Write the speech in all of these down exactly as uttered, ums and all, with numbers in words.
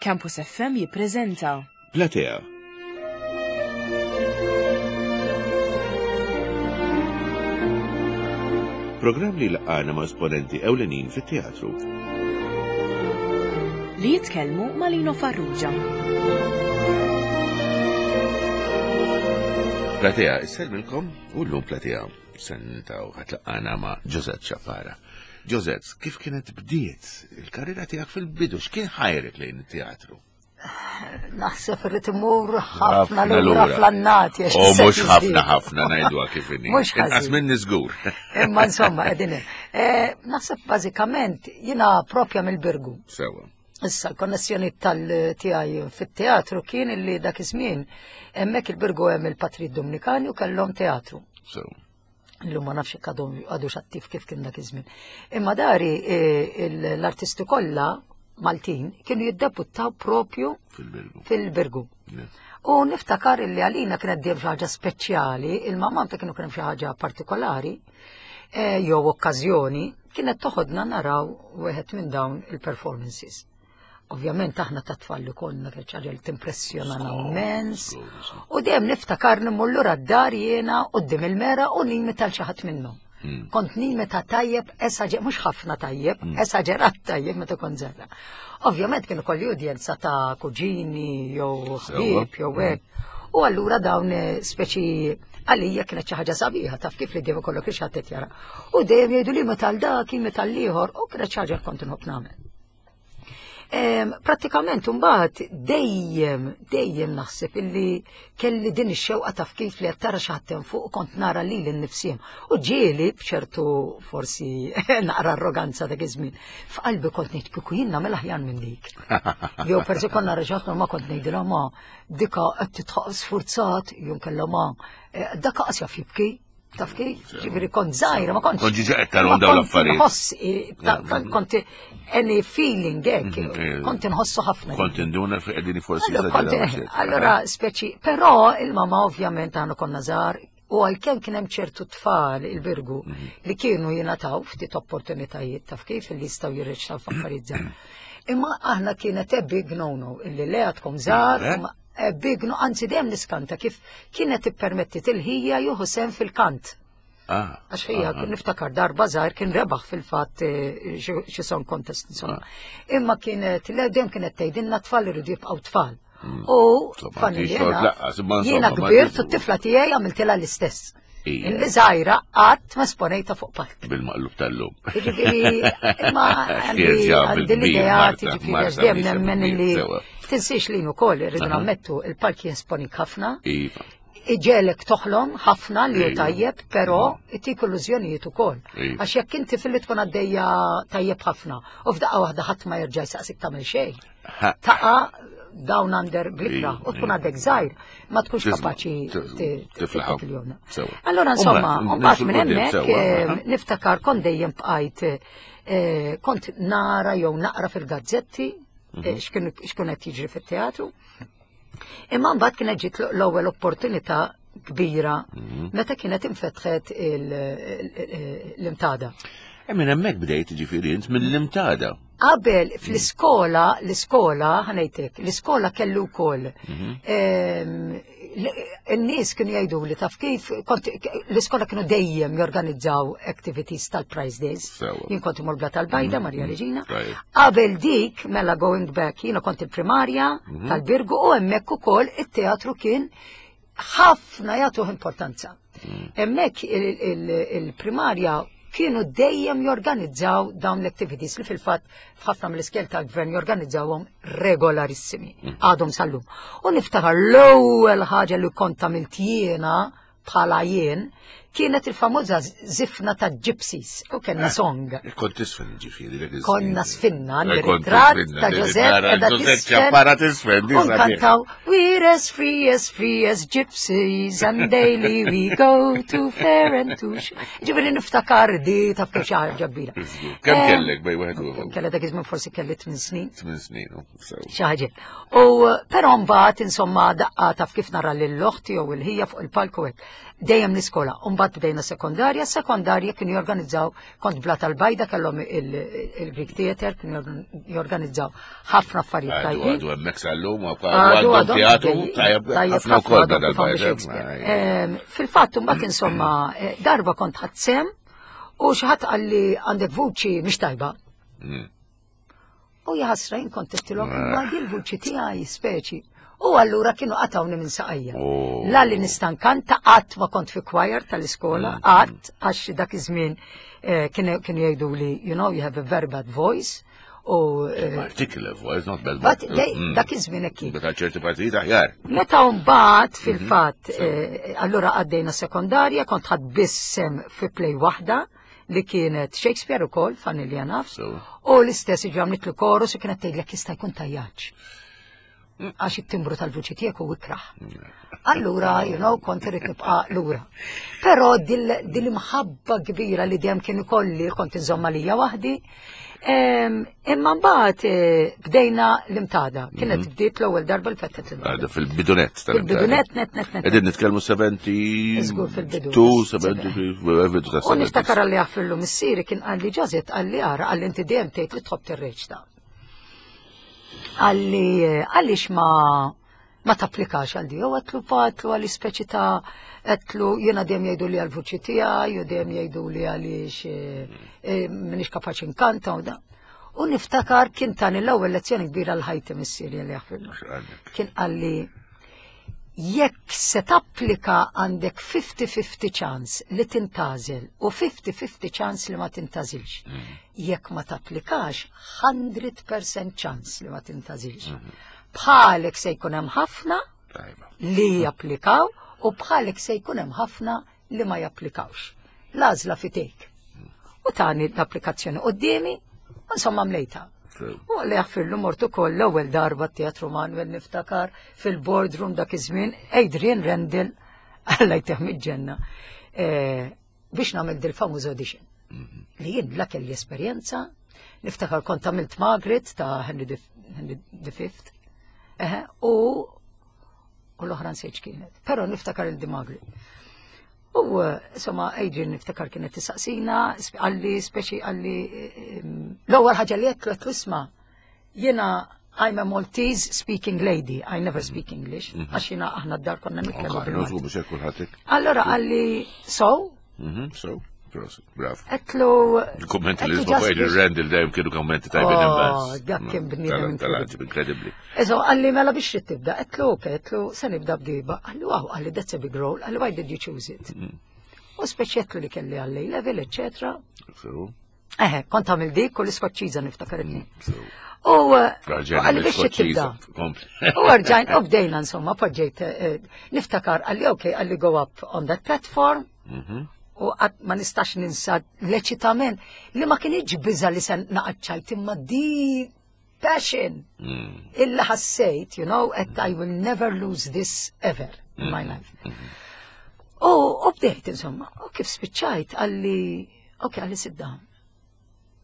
Campus F M jippreżenta Platea. Programm li laqana ma' esponenti ewlenin fit-teatru. Li jitkellmu ma' Lino Farrugia. Platea, isselmilkom u l-lum Platea sentaw ħatlaqqana ma' Josette Ciappara. Josette, kif kienet bdiet il-karriera tiegħek fil-bidu, x'kien ħajrek lejn it-teatru? Naħseb irrid imur ħafna lura fl-annati. U mhux ħafna ħafna, ngħiduha kif inhi. Mhux Inqas ħażin. minni żgur. Imma insomma, qegħdin hemm. Eh, Naħseb bażikament jiena propja mill-Birgu. Sewa. Issa l-konnessjoni tal-tiegħi fit-teatru kien illi dak iż-żmien hemmhekk il-Birgu hemm il-Patri Dominikani u kellhom teatru. Sewa. Illum ma nafx jekk għadhom għadux attiv kif kien dak iż-żmien. Imma dari eh, il- l-artisti kollha Maltin kienu jiddebuttaw propju Fil-Birgu. fil-Birgu. Yeah. U niftakar illi għalina kienet dejjem xi ħaġa speċjali, il-mamma ta' kienu kien xi ħaġa partikolari, eh, jew okkażjoni, kienet toħodna naraw wieħed minn dawn il-performances. Ovvjament aħna ta' tfal li konna, kienet xi ħaġa li timpressjonana immens. Żgur, żgur. U dejjem niftakar immur lura d-dar jiena quddiem il-mera u nimita l xi ħadd minnhom. Mm. Kont nimita tajjeb, esaġer, mhux ħafna tajjeb, esaġerat tajjeb meta kont żgħira. Ovvjament kienu kolli udjenza ta' kuġini jew ħbieb jew hekk. U allura dawn eh, speċi għalija kienet xi ħaġa sabiħa, taf kif, li dejjem ikollok xi ħadd qed jara. U dejjem jgħidu li meta dak, meta l-ieħor, u kienet xi ħaġa kont inħobb nagħmel. Em, Prattikament mbagħad dejjem dejjem naħseb illi kelli din ix-xewqa, taf kif, li qed tara xi ħadd hemm fuq, kont nara lili nnifsi. U ġieli b'ċertu forsi naqra arroganza dak iż-żmien, f'qalbi kont ngħid kieku jien nagħmel aħjar minn dik. Jew persi kont nara xi ħadd, ma kont ngħidilha ma dika qed titħaq sfurzat, jew kellha ma eh, dak qas jaf jibki. Taf kif? Ġifieri kont żgħira, ma kontx. Kont ġiġa qed tarahom Ma dawn kont l-affarijiet. nħoss, eh, ta- ta- kont any feeling hekk, Mhm, eh, kont inħossu ħafna. Kont induna fi qegħdin forsi Allora, kont- eżageraw xi. Allora, speċi, però il-mama ovvjament għanu konna żgħar u għalkemm kien hemm ċertu tfal il-Birgu Mhm. li kienu jingħataw ftit opportunitajiet, taf kif, li jistgħu jirreċtaw f'affarijiet żgħar. Imma aħna kienet a big no-no illi le għadkom żgħar, Eh? imma a big no, anzi dejjem niskanta kif kienet ippermetti il-ħija jieħu sehem fil-kant. Ah, Għax ħija, ah, ah. niftakar darba żgħir kien rebaħ fil-fatt eh, xi xi song contest insomma. Imma kienet, le dejjem kienet tgħidilna tfal iridu jibqgħu tfal. U Insomma, fanni ti jiena xort laqqas, imma jiena insomma, ma kbirt tiżu. u t-tifla tiegħi għamiltilha l-istess. Ija. Illi żgħira qatt ma esponejta fuq palk. Bil-maqlub tal-lum. Jiġifieri, imma għandi Tirġa' għandi bil-kbir, l-idea, Marta, jiġifieri, Marta, għax dejjem mhix nemmen bil-kbir, li sewa. tinsiex li wkoll irridu Aha. nammettu il-palk jesponik ħafna, Iva. iġegħlek toħlom ħafna li hu Ejwa. tajjeb, però itik illużjonijiet ukoll. Ejwa. Għax jekk inti fil-li tkun għaddejja tajjeb ħafna u f'daqqa waħda ħadd ma jerġa' jsaqsik tagħmel xejn. Ha. Taqa' down under blikra Ejwa, u tkun ejwa. għadek żgħir, ma tkunx Tisma' kapaċi t- tiflaħ. il-jomna. Sewa. Allora insomma, Umma, mbagħad minn nimxu 'l quddiem, hemmhekk sewa, eh, aha. niftakar kont dejjem bqajt eh, kont nara jew naqra fil-gazzetti Mhm. eh, x'kien x'kien qed jiġri fit-teatru. Imma mbagħad kienet ġiet l-ewwel opportunità kbira Mhm. meta kienet infetħet il- il- l-Imtada. E minn hemmhekk bdejt, ġifieri int mill-Imtada. Qabel fl-iskola, l-iskola, ħa ngħidlek, l-iskola kellu wkoll. Ehm, l- In-nies kienu jgħidu li, taf kif, kont l-iskola kienu dejjem jorganizzaw activities tal-Prize Days. Sewa. Jien kont imur Blata l-Bajda, Marja Reġina. Tajjeb. Qabel dik, mela going back, jiena kont il-primarja tal-Birgu u hemmhekk ukoll it-teatru kien ħafna jagħtuh importanza. Hemmhekk il- il- il-primarja kienu dejjem jorganizzaw dawn l-activities li fil-fatt f'ħafna mill-iskejjel tal-gvern jorganizzawhom regolarissimi għadhom sal-lum. U niftakar l-ewwel ħaġa li kont għamilt jiena bħala jien kienet il-famuża zifna ta' gypsies u kellna song. Kont tisfen ġifieri dak iż-żmien. Konna sfinna, Eh, kont ritratt tisfinna, ta' li Josette nara edha Josette tisfen. Ciappara tisfen, di U sabiħa. nkantaw, "We're as free as free as gypsies and daily we go to fair and to sh-" Ġifieri niftakar di, taf kif, xi ħaġa kbira. Kemm Eh, kellek bej wieħed u ieħor? Kelli dak iż-żmien forsi kelli tmien snin. Tmien snin, u, sew. Xi ħaġa. U però mbagħad insomma daqqa, taf kif, nara lil oħti jew il-ħija fuq il-palku hekk. Dejjem l-iskola. U mbagħad Mbagħad bdejna sekondarja, sekondarja kienu jorganizzaw, kont Blata l-Bajda kellhom il-Greek Theater, kienu jorganizzaw ħafna affarijiet tajbin. Għadu hemmhekk sal-lum, għadu teatru, tajjeb ħafna wkoll Blata l-Bajda. Fil-fatt mbagħad insomma darba kont ħadt sehem u xi ħadd qalli għandek vuċi mhix tajba. U jaħasra jien kont għedtilhom imma di l-vuċi tiegħi speċi. U allura kienu qatawni minn saqajja. La li nista' nkanta, qatt ma kont fi choir tal-iskola, qatt, għax dak iż-żmien kienu jgħidu li, you know, you have a very bad voice. U Particular voice, not bad voice. Dak iż-żmien hekk. Meta ċerti partijiet aħjar. Meta mbagħad fil-fatt, allura għaddejna sekondarja, kont ħadt biss sehem fi play waħda li kienet Shakespeare ukoll, funnily enough. U l-istess ġi għamlitlu chorus u kienet tgħidlek jista' jkun tajjaġ. Għax it-timbru tal-vuċi tiegħek u ikraħ. Allura, you know, kont irrid nibqa' lura. Però dil-imħabba kbira li dejjem kien ikolli kont inżomma lija waħdi. Imma mbagħad bdejna l-Imtada. Kienet bdiet l-ewwel darba l-fettet l-Imtada. Fil-bidunet tal Fil-bidunet, net, net, net. Qegħdin nitkellmu seventy Żgur fil-bidu. two, seventy, bidu ta' U niftakar li għaffillu missieri kien qalli Josette, qalli ara, qalli inti dejjem tgħid li tħobb tirreċta. Qalli għaliex ma ma tapplikax għal di, u għedtlu patlu għalli speċi ta' għedtlu jena dejjem jgħidu li għal-vuċi tiegħi, u dejjem jgħidu li għaliex m'iniex kapaċi nkanta u da. U niftakar kien tani l-ewwel lezzjoni kbira l-ħajti missieri li jaħfirlu. Kien qalli jekk se tapplika għandek fifty fifty chance li tintgħażel u fifty fifty chance li ma tintgħażilx. Jekk ma tapplikax, one hundred percent chance li ma tintgħażilx. Bħalek se jkun hemm ħafna li japplikaw u bħalek se jkun hemm ħafna li ma japplikawx. L-għażla f'idejk. U tani l-applikazzjoni quddiemi, insomma mlejta. U għalli jaffirlu mort ukoll l-ewwel darba Teatru Manuel niftakar fil-boardroom dak iż-żmien Adrian Rendell, Alla jtih ġenna, biex nagħmel dil-famuż audition. Li jien la kelli esperjenza, niftakar kont għamilt Margaret ta' Henry the Fifth, u u l-oħra nsejt kienet. Però niftakar il-di Margaret. U insomma, Adrian niftakar kienet tisaqsina, qalli, speċi qalli, l-ewwel ħaġa li għedtlu għedtlu isma', jiena I'm a Maltese speaking lady, I never speak English, għax jiena aħna d-dar konna nitkellmu bil. Allora qalli, so? So, bravo. Għedtlu. Il-kommenti li jisma' Adrian Rendell dejjem kienu kommenti tajbin immens. Dak kien bniedem. Incredibly. Eżo, qalli mela biex trid tibda, għedtlu, ok, għedtlu, se nibda b'diba. Qalli, wow, qalli that's a big role, qalli why did you choose it? U speċi għedtlu li kelli għalli level, eccetera. Eħe, kont għamil dik u l-iskoċċiża niftakar it U qalli biex tibda. U rġajn, u bdejna insomma, poġġejt, niftakar, qalli ok, qalli go up on that platform, u qatt ma nistax ninsa l-eċitament li ma kienx biża li se naqaċċajt imma di passion illa ħassejt, you know, and I will never lose this ever in my life. U u bdejt insomma, u kif spiċċajt qalli, ok, qalli sit down.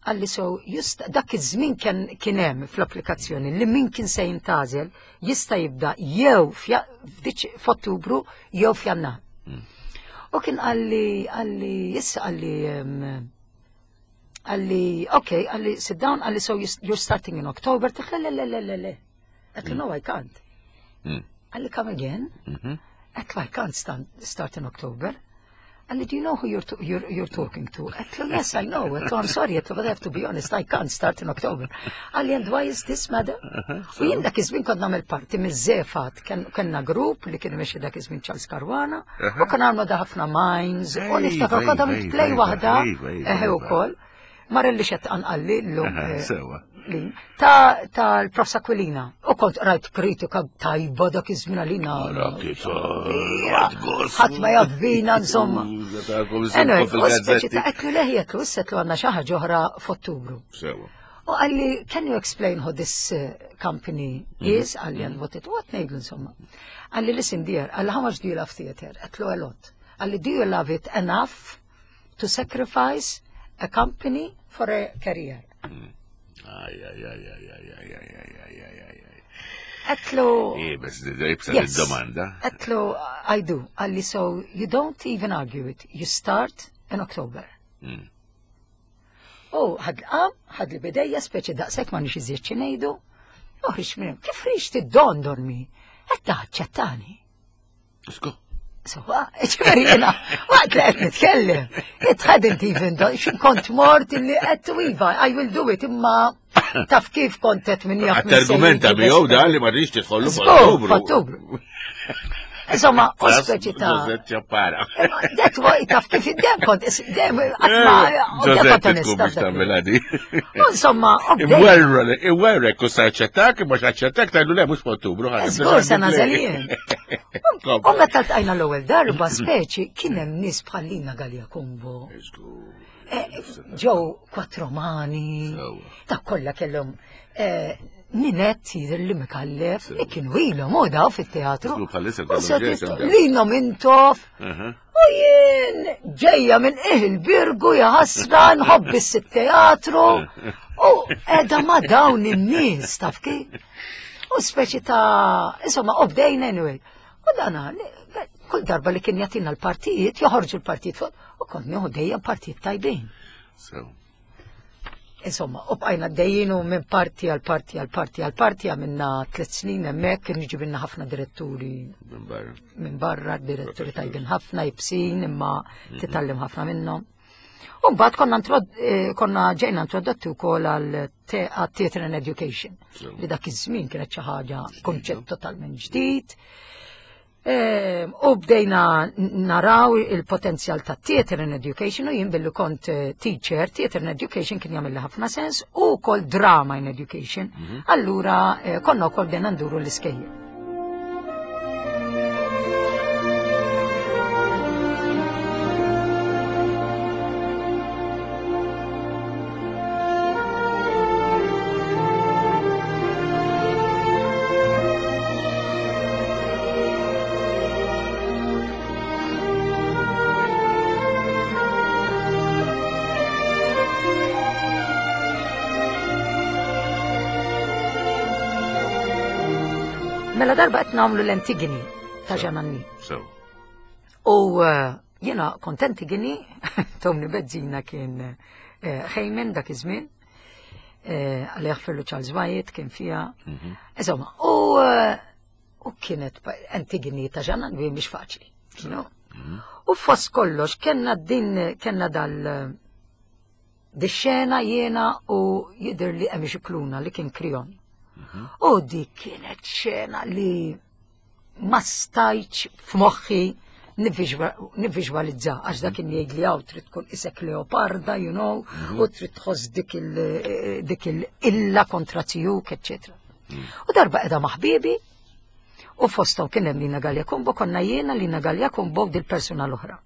Qalli so, just dak iż-żmien kien kien hemm fl-applikazzjoni li min kien se jintgħażel jista' jibda jew f'Ottubru jew f'Jannar. U kien qalli, qalli, issa qalli, qalli, ok, qalli, sit down, qalli, so you're starting in October. Għedtlu, le, le, le, le, le. Għedtlu, no, I can't. Qalli, come again. Għedtlu, I can't start, start in October. Qalli, do you know who you're, to, you're, you're talking to? Għedtlu, yes, I know. Għedtlu, I'm sorry, għedtlu, but I have to be honest, I can't start in October. Qalli, and why is this, madam? U jien dak iż-żmien kont nagħmel parti miż-żefat, kellna grupp li kien imexxi dak iż-żmien Charles Caruana, u kien għamlu da ħafna mimes, u niftakar kont għamilt play waħda, eħe ukoll. Marelli xed anqalli l-lum. Sewa. Ta' tal-Profs Aquilina. U kont rajt kritika tajba dak iż-żmien għalina. Ħadd ma jaf bina insomma. Anyway, u speċi ta' għedtlu leħi għedtlu issa għedtlu għandna xi ħaġa oħra f'Ottubru. Sewa. U qalli, can you explain how this uh, company is? Qalli, and what it, what ngħidlu insomma. Qalli, listen dear, qalli, how much do you love theater? Għedtlu a lot. Qalli, do you love it enough to sacrifice a company for a career? Aj, aj, aj, aj, aj, aj, aj, aj, aj, aj, aj. Għedtlu. Iebes, iebsa domanda. Għedtlu, I do. Qalli, so you don't even argue it. You start in October. Mm. U ħad l-qam, ħad li bidejja, speċi daqsek ma nix iżjed xinejdu. Uħriġ minn, kif ħriġt id-don dormi? Għedda ċettani. Sku. Sewa, ġifieri jiena, waqt li qed nitkellem, it hadn't even done, xin kont mort illi qed iva, I will do it, imma taf kif kont qed min jaf. Għat-argumenta miegħu dan li ma rridx tidħollu f'Ottubru. F'Ottubru. Insomma, u speċi ta' Giuseppe Ciappara. Det taf kif id-dem kont, dem, għatma, Giuseppe tkun biex tagħmilha di. Insomma, Imwerra, imwerra, kus aċċettak, mhux aċċettak, tgħidlu le mhux f'Ottubru. Żgur se nażel jien. U meta ltqajna l-ewwel darba speċi kien hemm nies bħal Lina Galea Cumbo. Ġew Quattromani, ta' kollha kellhom Ninett jidher li Micallef, li kienu ilhom u daw fit-teatru. Lino Mintoff. U jien ġejja minn qiegħ il-Birgu jaħasra nħobb is-teatru. U qiegħda ma' dawn in-nies taf kif. U speċi ta' insomma, u bdejna anyway. U dana, kull darba li kien jagħtina l-partijiet, joħorġu l-partijiet fuq, u kont nieħu dejjem partijiet tajbin. Insomma, u bqajna dejjin u minn parti għal parti għal parti għal parti għamilna tliet snin hemmhekk, kien jiġibilna ħafna diretturi minn barra. Minn barra, diretturi tajbin ħafna, jibsin, imma titgħallem ħafna minnhom. U mbagħad konna konna ġejna introdotti wkoll għal Theatre and Education, li dak iż-żmien kienet xi ħaġa konċett totalment ġdid. U bdejna naraw il-potenzjal ta' Theatre and Education u jien billi kont teacher, Theatre and Education kien jagħmel ħafna sens u wkoll Drama in Education. Allura konna wkoll bdejna nduru l-iskejjel. Mela darba qed nagħmlu l-Antigone ta' Jean Anouilh. U jiena kont Antigone, Tony Bezzina kien Ħejmen dak iż-żmien, għalli jaħfirlu Charles Wyatt kien fiha. Insomma, u kienet Antigone ta' Jean Anouilh mhix faċli. U fost kollox kellna din kellna dal di xena jiena u jidher li hemm xi kluna li kien Krion. U dik kienet xena li ma stajtx f'moħħi nivviżwalizza, għax dak kien jgħid li hawn trid tkun isek leoparda, you know, u trid tħoss dik il-illa kontra tiegħek, eċċetera. U darba qiegħda ma' ħbiebi, u fosthom kien hemm Lina Galea Cumbo, konna jiena Lina Galea Cumbo dil-persuna l-oħra.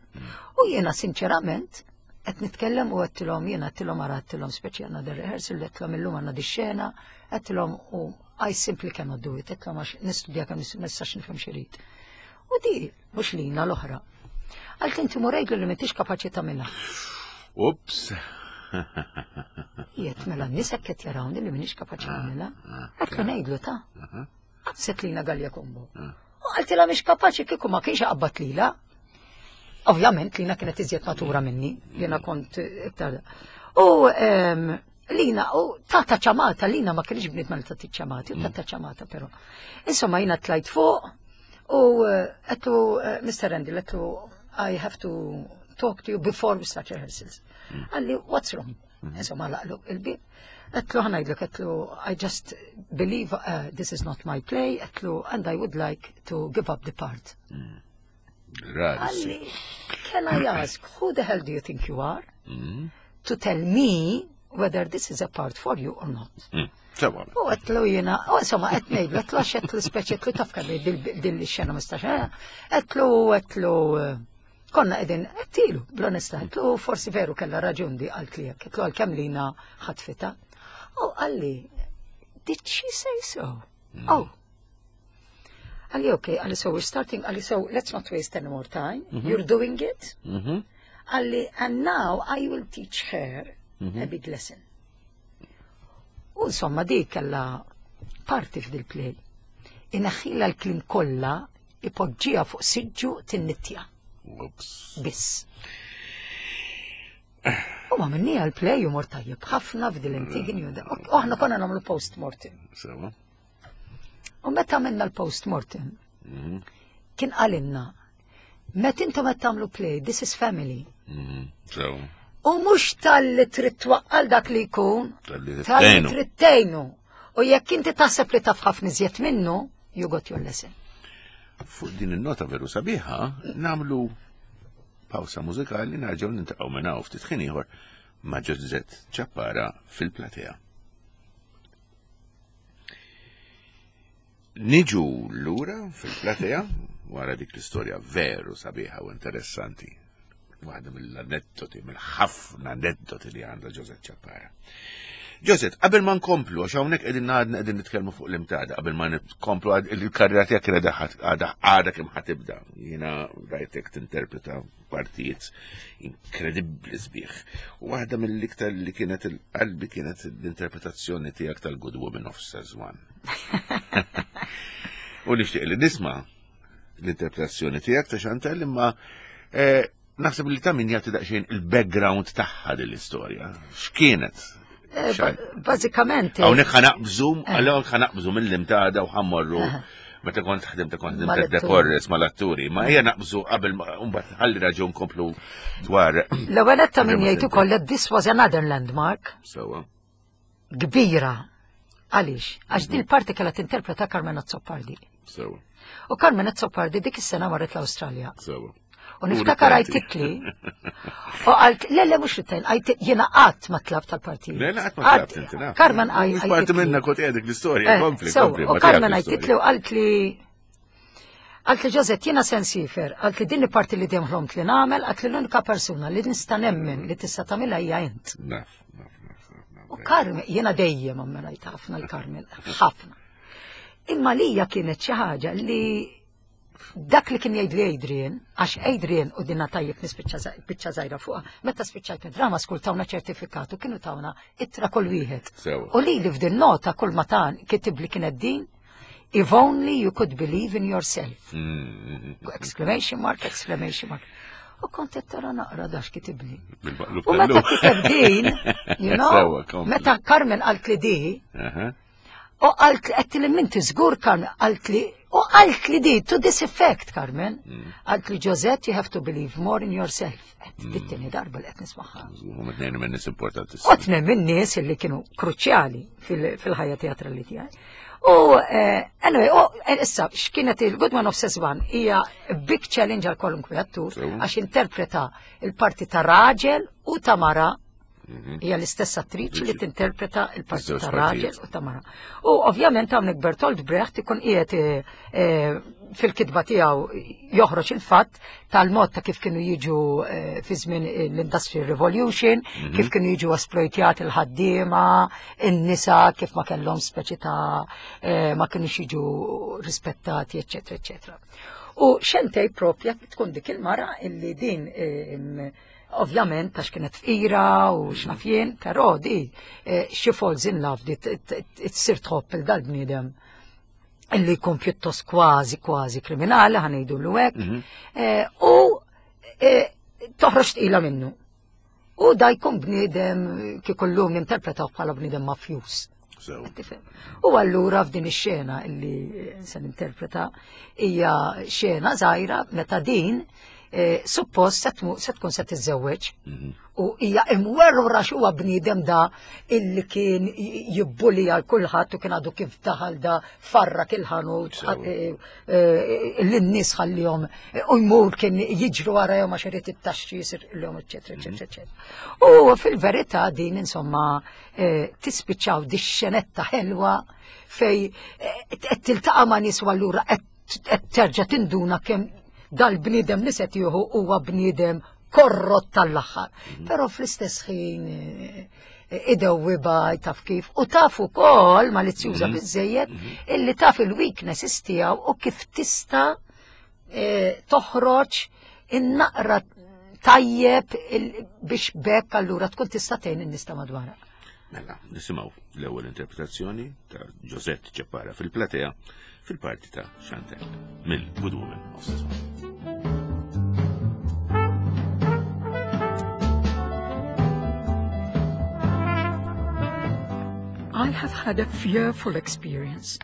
U jiena sinċerament qed nitkellem u għedtilhom jiena għedtilhom ara għedtilhom speċi għandna dir rehearsal, għedtilhom illum għandna di xena, għedtilhom u I simply cannot do it, għedtilhom għax nistudja kemm ma nistax nifhem x'irid. U di mhux Lina l-oħra. Għalt inti murejlu li m'intix kapaċi tagħmilha. Ups. Jiet mela n-nies hekk qed jarawni li m'iniex kapaċi nagħmilha. Għedtlu ngħidlu ta' Qabset Lina Galea Cumbo. U qaltilha mhix kapaċi kieku ma kienx qabbat lilha. Ovvjament Lina kienet iżjed matura minni, jiena kont iktar. U Lina, u tata ċamata, Lina ma kienx bniet ma tagħti ċamati, u tata ċamata però. Insomma jiena tlajt fuq u għedtlu Mister Randall, għedtlu I have to talk to you before we start rehearsals. Qalli, what's wrong? Insomma laqlu il-bib. Għedtlu ħa ngħidlek, għedtlu I just believe uh, this is not my play, għedtlu and I would like to give up the part. Qalli, can I ask, who the hell do you think you are to tell me whether this is a part for you or not? U għedtlu jiena, u insomma, qed ngħidlu, għedtlu għax għedtlu speċi, għedtlu taf kemm din xena mistax, għedtlu, għedtlu, konna qegħdin, għedtilu, bl-onestà, għedtlu forsi veru kellha raġun di qalt li hekk, għedtlu għalkemm Lina ħatfitha. U qalli, did she say so? Oh. Qalli, okay, qalli, so we're starting, qalli, so let's not waste any more time. You're doing it. Qalli, and now I will teach her a big lesson. U insomma, di kella parti f'dil play. Ineħħila l-kliem kollha, ipoġġiha fuq siġġu tinnittja. Ups. Biss. U ma minnija l-play u mor tajjeb ħafna f'dil Antigone u da. U aħna konna nagħmlu post-mortem. Sewa. U meta għamilna l-post-mortem, Mhm. kien qalilna, meta intom qed tagħmlu play, this is family. Mhm. Sewa. U mhux talli trid twaqqal dak li jkun, Talli talli tgħinu. trid tgħinu. U jekk inti taħseb li taf ħafna iżjed minnu, you got your lesson. Fuq din il-nota veru sabiħa, nagħmlu pawsa mużikali, nerġgħu niltaqgħu minn hawn ftit ħin ieħor ma' Josette Ciappara fil-platea. Niġu lura fil-platea wara dik l-istorja veru sabiħa u interessanti. Waħda mill-aneddoti, mill-ħafna aneddoti li għandha Josette Ciappara. Josette, qabel ma nkomplu, għax hawnhekk qegħdin għadna qegħdin nitkellmu fuq l-imtada, qabel ma nkomplu għad- il-karriera tiegħek kienet għadha għadha għadha kemm ħatibda. Jiena rajtek tinterpreta partijiet inkredibbli sbieħ. U waħda mill-iktar li kienet il-qalbi kienet l-interpretazzjoni tiegħek tal-Good Woman of Szechuan. U nixtieq li nisma' l-interpretazzjoni tiegħek ta' Chantal, imma eh, naħseb li ta' min jagħti daqsxejn il-background tagħha din l-istorja. X'kienet? Eh, Xan- ba- Bażikament, Hawnhekk ħa naqbżu, għalhekk ħa naqbżu mill-imtada u ħa mmorru meta kont ħdimt kont ħdimt Mal-atturi. dekorres mal-atturi, ma hija naqbżu qabel ma mbagħad ħalli raġun komplu dwar. L-ewwel ta' min Qabel ma jgħid ukoll that this was another landmark Sewa. kbira. Għaliex? Għax din il-parti kellha tinterpreta Carmen Azzopardi. Sewa. U Carmen Azzopardi dik is-sena marret l-Awstralja. Sewa. U niftakar għajtitli, u għalt, le, le, mhux rittajn, għajt, jiena qatt ma tlabt tal-partijiet. Le, le, qatt ma tlabt inti, naf. Carmen għaj. Mhux parti minna kont qiegħdek l-istorja, Eh, kompli, sew, kompli. U ma Carmen tiegħek għajtitli l-istorja. u għalt li, għalt li Josette, jiena se nsifer, għalt li din il-parti li dejjem ħlomt li nagħmel, għalt li l-unika persuna li nista' nemmen li tista' tagħmilha hija int. Naf, naf, naf, naf, naf. U Carmen, jiena dejjem ammirajt ħafna l-Carmen, ħafna. Imma lija kienet xi ħaġa li dak li kien jgħid li Adrian, għax Adrian u dinna tajjeb nispiċċa biċċa żgħira fuqha, meta spiċċajt mid-drama school tawna ċertifikatu, kienu tawna ittra kull wieħed. Sewa. U li li f'din nota kull ma tan kitib li kienet din, if only you could believe in yourself. Mm, Exclamation mark, exclamation mark. U kont qed tara naqra dax kitibli. Bil-maqlub U meta tal-lum. kiteb din, you know, Sewa, kompli. meta Carmen qalt li di, Aha. u qalt li qed li minti żgur Carmen, qalt li, u qalt li di, to this effect, Carmen, qalt li Josette, you have to believe more in yourself. Qed dit-tieni darba li qed nismagħha. Huma tnejn minn nies importanti. U tnejn minn nies illi kienu kruċjali fil- fil-ħajja teatrali tiegħi. U eh, anyway, u eh, issa x'kienet il-Good Man of Szechuan hija big challenge għal kwalunkwe attur Sewa. għax interpreta il-parti ta' raġel u ta' mara. Hija l-istess attriċi li tinterpreta il-parti Iż-żewġ ta' raġel partijiet. u ta' mara. U ovvjament hawnhekk Bertolt Brecht ikun qiegħed eh, eh, fil-kitba tiegħu joħroġ il-fatt tal-mod ta' kif kienu jiġu eh, fi żmien l-Industrial Revolution, kif kienu jiġu esploitjati l-ħaddiema, in-nisa, kif ma kellhom speċi ta' eh, ma kienux jiġu rispettati, eċċetera, eċċetera. U Shantae propja tkun dik il-mara illi din eh, ovvjament għax kienet fqira u x'naf jien, però di eh, she falls in love di t- t- tsir tħobb il dal-bniedem illi jkun pjuttost kważi kważi kriminali, ħa ngħidu l hekk, eh, u eh, toħroġ tqila minnu. U da jkun bniedem kieku llum ninterpretaw bħala bniedem mafjus. Sewa. Tifhem? U allura f'din ix-xena illi se ninterpreta hija xena żgħira meta din eh, suppost se tmu- se tkun se tiżżewweġ u hija imwerwra x'huwa bniedem da illi kien jibbuli għal kulħadd u kien għadu kif daħal da farrak il-ħanut Sewa. eh, eh, lin-nies ħallihom eh, u jmur kien jiġru warahom għax irid it-taxxi jisirqilhom, eċetera, eċetera, eċetera. U fil-verità din insomma eh, tispiċċaw di xenetta ħelwa fej eh, qed tiltaqa' ma' nies u allura qed qed terġa' tinduna kemm dal-bniedem li se tieħu huwa bniedem korrott tal-aħħar. Però fl-istess ħin eh, idewwiba taf kif u taf ukoll malizzjuża biżejjed illi taf il-weaknesses tiegħu u kif tista' eh, toħroġ in-naqra tajjeb il- biex bekk allura tkun tista' tgħin in-nies ta' madwarha. Mela, nisimgħu l-ewwel interpretazzjoni ta' Josette Ciappara fil-platea fil-parti ta' Chantel mill-Good Woman of Szechuan. I have had a fearful experience.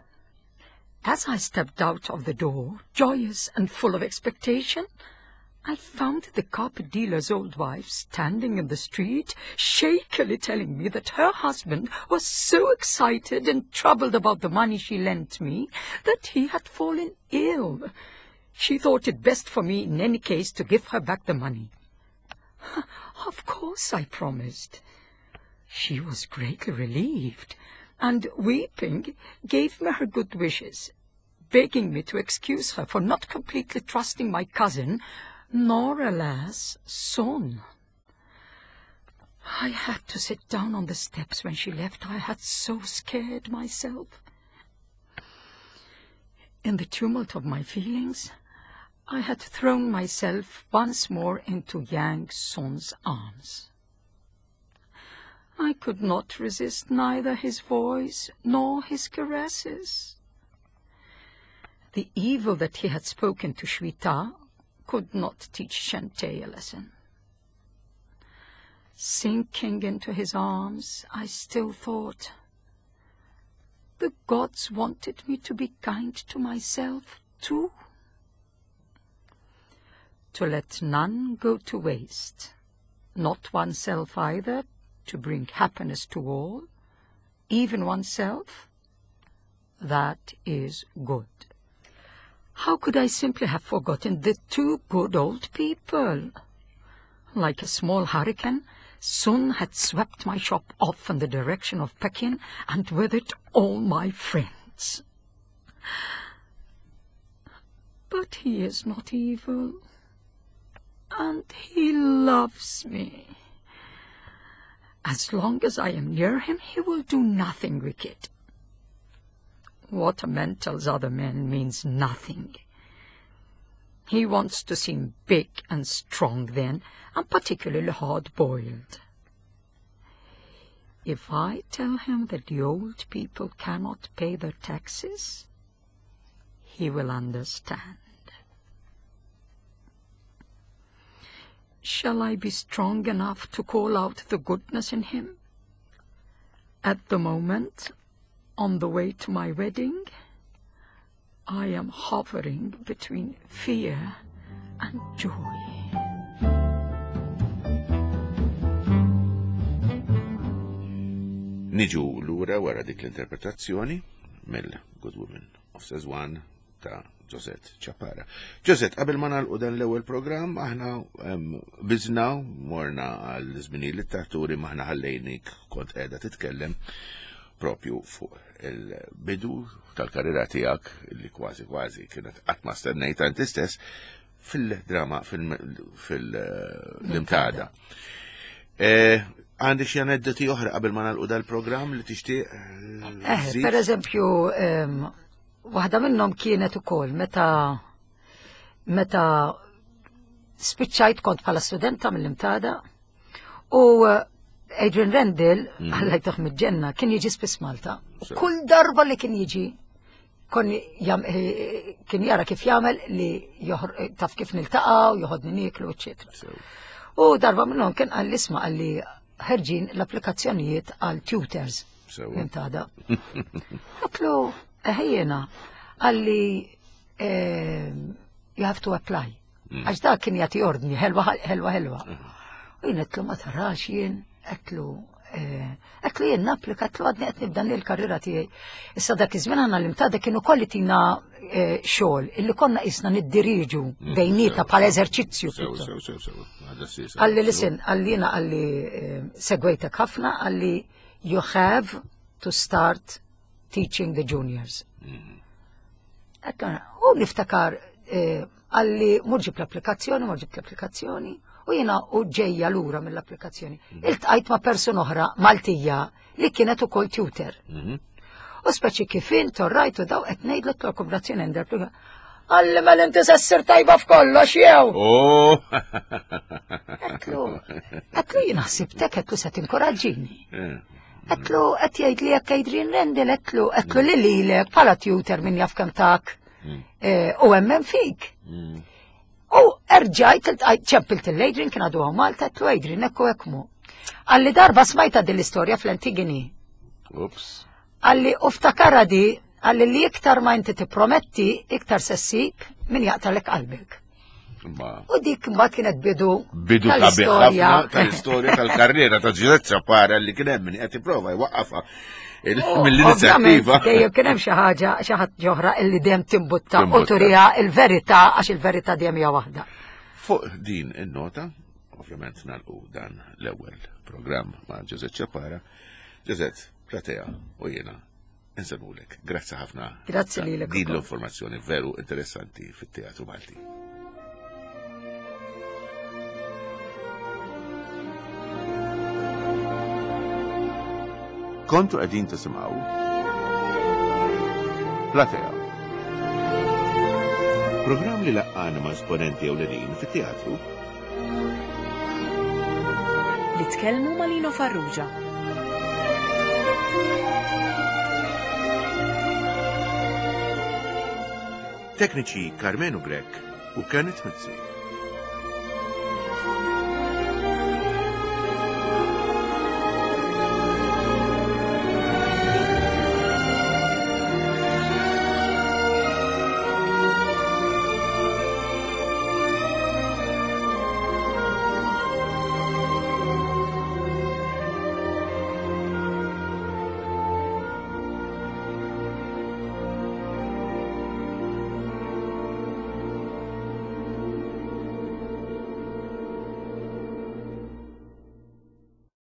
As I stepped out of the door, joyous and full of expectation, I found the carpet dealer's old wife standing in the street, shakily telling me that her husband was so excited and troubled about the money she lent me that he had fallen ill. She thought it best for me in any case to give her back the money. Of course I promised. She was greatly relieved, and, weeping, gave me her good wishes, begging me to excuse her for not completely trusting my cousin, nor, alas, Sun. I had to sit down on the steps when she left. I had so scared myself. In the tumult of my feelings, I had thrown myself once more into Yang Sun's arms. I could not resist neither his voice nor his caresses. The evil that he had spoken to Shweta could not teach Shante a lesson. Sinking into his arms, I still thought, the gods wanted me to be kind to myself, too. To let none go to waste, not oneself either, to bring happiness to all, even oneself, that is good. How could I simply have forgotten the two good old people? Like a small hurricane, Sun had swept my shop off in the direction of Pekin, and with it all my friends. But he is not evil, and he loves me. As long as I am near him, he will do nothing wicked. What a man tells other men means nothing. He wants to seem big and strong then, and particularly hard-boiled. If I tell him that the old people cannot pay their taxes, he will understand. Shall I be strong enough to call out the goodness in him? At the moment, on the way to my wedding, I am hovering between fear and joy. Niġu lura wara dik l-interpretazzjoni mill-Good Woman of Szechuan ta' Josette Ciappara. Josette, qabel ma nagħlqu dan l-ewwel programm, aħna biżna morna għal żminijiet li taħturi maħna ħallejnik kont qiegħda titkellem propju fuq il-bidu tal-karriera tiegħek li kważi kważi kienet qatt ma stennejta inti stess fil-drama fil-Imtada. Għandi xi aneddoti oħra qabel ma nagħlqu dal-programm li tixtieq? Eh, per eżempju, waħda minnhom kienet ukoll meta meta spiċċajt kont bħala studenta mill-Imtada u Adrian Rendell, Alla jtih mill-ġenna, kien jiġi spiss Malta. Kull darba li kien jiġi, kien jara kif jagħmel li taf kif niltaqgħu, joħodni nieklu, eċċetera. U darba minnhom kien qal isma' qalli ħerġin l-applikazzjonijiet għal tutors. L-Imtada. Għedtlu, ejjena, qalli you have to apply. Għax dak kien jagħti ordni, ħelwa, ħelwa, ħelwa. U jien għedtlu ma tarax jien, għedtlu, għedtlu jien napplika, għedtlu għadni qed nibda l-karriera tiegħi. Issa dak iż-żmien aħna l-Imtada kienu kolli tina xogħol illi konna qisna niddiriġu bejnietna bħala eżerċizzju. Qalli listen, qalli jiena qalli segwejtek ħafna, qalli you have to start teaching the juniors. U niftakar qalli mur ġib l-applikazzjoni, mur ġib l-applikazzjoni, u jiena u ġejja lura mill-applikazzjoni. Iltqajt ma' persuna oħra Maltija li kienet ukoll tutor. U speċi kif int rajtu daw qed ngħidlu l-kooperazzjoni għandha. Qalli mela inti se ssir tajba f'kollox jew. Oh! Għedtlu, għedtlu jien ħsibtek, għedtlu se tinkoraġġini. Għedtlu, qed jgħid li jekk Adrian Rendell, għedtlu, għedtlu li lilek bħala tutor min jaf kemm tak eh, u emmen fik. Mm. U erġajt, iltqajt- ċempilt l-Adrian kien għadu hawn Malta, għedtlu Adrian, ekku ekmu. Qalli darba smajta din l-istorja fl-Antigoni. Ups. Qalli u ftakara di, qalli li iktar ma inti tipprometti, iktar se ssib min jaqtalek qalbek. Ma U dik mbagħad kienet bidu bidu sabiħ tal-istorja. ħafna tal-istorja tal-karriera ta' Giuseppe Ciappara li kien hemm min qed jipprova jwaqqafha il- U mill-inizjattiva. Ovvjament, dejjem kien hemm xi ħaġa xi ħadd oħra illi dejjem timbutta u Timbutta. turiha il-verità għax il-verità dejjem hija waħda. Fuq din in-nota, ovvjament nagħlqu dan l-ewwel programm ma' Giuseppe Ciappara. Giuseppe, platea u jiena insellmulek. Grazzi ħafna. Grazzi ta' lilek Din ukoll. l-informazzjoni veru interessanti fit-Teatru Malti. Kontu qegħdin tisimgħu Platea. Programm li laqqana ma' esponenti ewlenin fit-teatru Li tkellmu ma' Lino Farrugia. Tekniċi Carmenu Grech u Kenneth Mizzi.